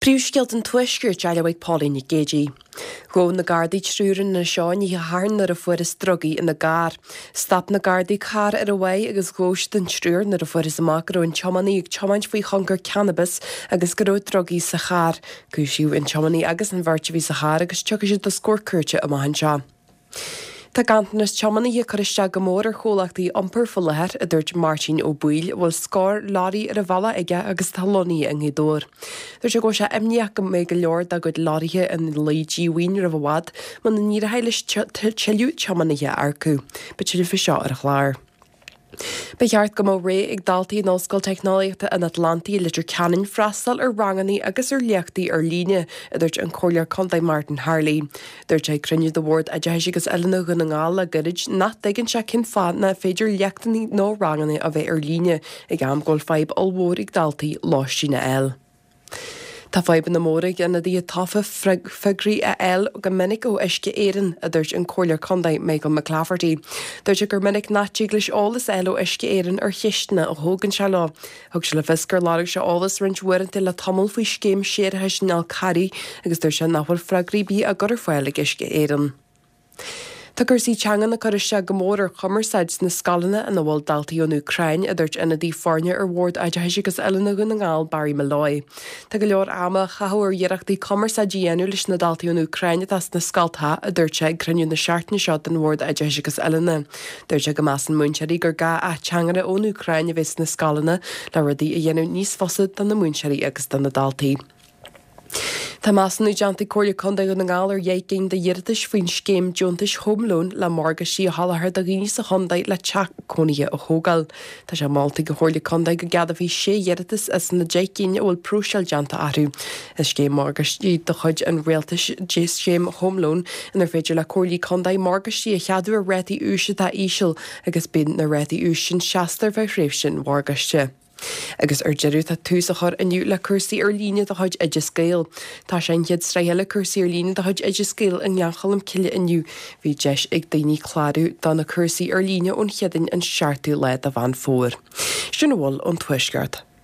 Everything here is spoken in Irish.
Príomhscéalta an Tuaiscirt á léamh ag Pauline Nic Géidigh. Ghabh na Gardaí triúr in Inis Eoghain oíche Shathairn nuair a fuarthas drugaí ina gcarr. Stop na Gardaí carr ar an Mhaigh agus ghabh siad an triúr nuair a fuarthas amach go raibh an tiománaí ag tiomáint faoi thionchar cannabais agus go raibh drugaí sa charr. Cúisíodh an tiománaí agus an bheirt a bhí sa charr agus tiocfaidh siad os comhair cúirte amach anseo. Tá ganntanas tiománaithe ag cur isteach go mór ar chomhlachtaí iompair faoi láthair, a dúirt Máirtín Ó Baoill, a bhfuil scór leoraí ar an bhealach aige agus atá lonnaithe i nGaoth Dobhair. Dúirt sé go bhfuil sé imníoch go mbeidh go leor dá gcuid leoraithe ina luí díomhaoin roimh i bhfad muna n-éireoidh leis tuilleadh tiománaithe a earcú. Beidh tuilleadh faoi seo ar an chlár. Ba cheart go mbeadh rogha ag daltaí in Ollscoil Teicneolaíochta an Atlantaigh i Leitir Ceanainn freastal ar ranganna agus ar léachtaí ar líne, a dúirt an Comhairleoir Contae Martin Harley. Dúirt sé ag cruinniú de Bhord Oideachais agus Oiliúna Dhún na nGall le gairid nach dtuigeann sé cén fáth nach féidir léachtanna nó ranganna a bheith ar líne ag am go bhfuil fadhb ollmhór ag daltaí lóistín a fháil. Tá fadhbanna móra ag ionadaithe tofa freagraí a fháil go minic ó Uisce Éireann, a dúirt an Comhairleoir Contae Michael McClafferty. Dúirt sé gur minic nach dtig leis eolas a fháil ó Uisce Éireann ar cheisteanna a thógann sé leo. Thug sé le fios gur lorg sé eolas roinnt uaireanta le tamall faoi scéim séarachais an Fhál Carraigh agus dúirt sé nach bhfuil freagraí ar bith á gcur ar fáil ag Uisce Éireann. Tá cúrsaí teangan ag cur isteach go mór ar chumarsáid sna scoileanna ina bhfuil daltaí ón Úcráin, a dúirt ionadaí foirne ar Bhord Oideachais agus Oiliúna Dhún na nGall, Barry Molloy. Tá go leor ama á chaitheamh ar iarrachtaí cumarsáid a dhéanamh leis na daltaí ón Úcráin atá sna scoltacha, a dúirt sé ag cruinniú na seachtaine seo den Bhord Oideachais agus Oiliúna. Dúirt sé go measann múinteoirí gur gá ateangaire ón Úcráin a bheith sna scoileanna le rudaí a dhéanamh níos fusa do na múinteoirí agus do na daltaí. Tá measúnú déanta ag Comhairle Contae Dhún na nGall ar dheich gcinn d'iarratais faoin scéim deontais Home Loan le morgáistí a sholáthar do dhaoine sa chontae le teach cónaithe a thógáil. Tá sé molta ag an Chomhairle Contae go gceadófaí sé iarratas as na deich gcinn a bhfuil próiseáil déanta orthu. Is scéim morgáistí de chuid an Rialtais í scéim Home Loan inar féidir le Comhairlí Contae morgáistí a cheadú ar rátaí úis atá íseal agus bíonn na rátaí úis sin seasta ar feadh thréimhse an mhorgáiste. Agus ar deireadh, tá tús á chur inniu le cúrsaí ar líne de chuid Oideas Gael. Tá sé an chéad sraith eile cúrsaí ar líne de chuid Oideas Gael i nGleann Cholm Cille inniu. Bhí deis ag daoine clárú do na cúrsaí ar líne ón Chéadaoin an 7ú lá de Mheán Fómhair. Sin a bhfuil ón Tuaisceart.